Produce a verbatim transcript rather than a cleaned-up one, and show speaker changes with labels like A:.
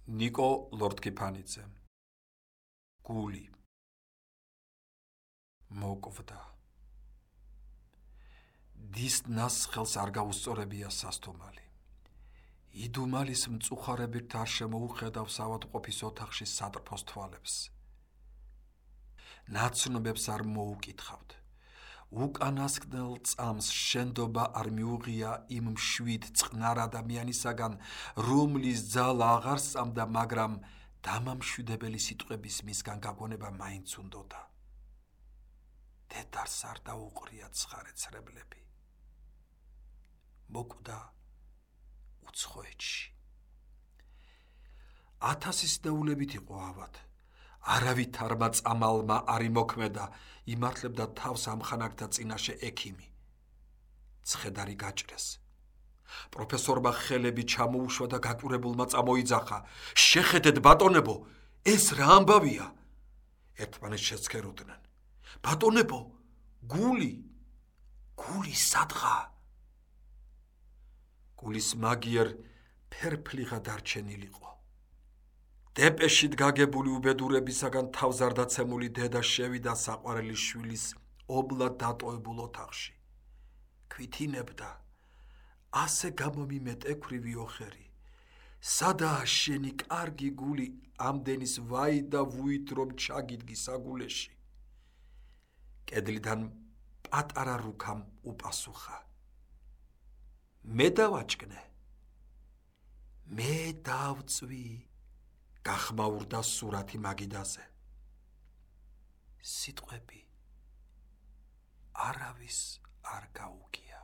A: ნიკო ლორთქიფანიძე. გული. მოკვდა. დის ნასხელს არ გაუსწორებია სასტუმალი. იდუმალის მწუხარებით არ შემოუხედავს ავადმყოფის ოთახში სატრფოს თვალებს. ნაცნობებს არ მოუკითხავთ. უკანასკნელ წამს შენდობა არ მიუღია იმ მშვიდ წყნარ ადამიანისაგან, რომლის ძალა აღარ სწამდა, მაგრამ დამამშვიდებელი სიტყვების მისგან გაგონება მაინც უნდოდა. დედარს არ დაუყრია ცხარე ცრებლები. მოკვდა უცხოეთში. ათასის დაულებით იყო ავად. არავითარმა წამალმა არ იმოქმედა, იმართლებდა თავს ამხანაგთა წინაშე ექიმი. ცხედარი გაჭრეს. პროფესორმა ხელები ჩამოუშვა და გაკვირებულმა წამოიძახა. შეხედეთ ბატონებო, ეს რა ამბავია? ერთმანეთს შეცქეროდნენ. ბატონებო, გული, გული სადღა? გულის მაგიერ ფერფლიღა დარჩენილიყო. დეპეშით გაგებული უბედურებისაგან თავს არ დაცემული დედა შევიდა საყვარელი შვილის ობლად დატოვებულ ოთახში. ქვითინებდა, ასე გამომიმეტ ექვრივი ოხერი. სადაა შენი კარგი გული, ამდენის ვაი და ვუით რომ ჩაგიდგი საგულეში. კედლიდან პატარა რუქამ უპასუხა. მე დავაჭკნე, მე დავწვი. გახმაურდა სურათი მაგიდაზე. სიტყვები არავის არ გაუგია.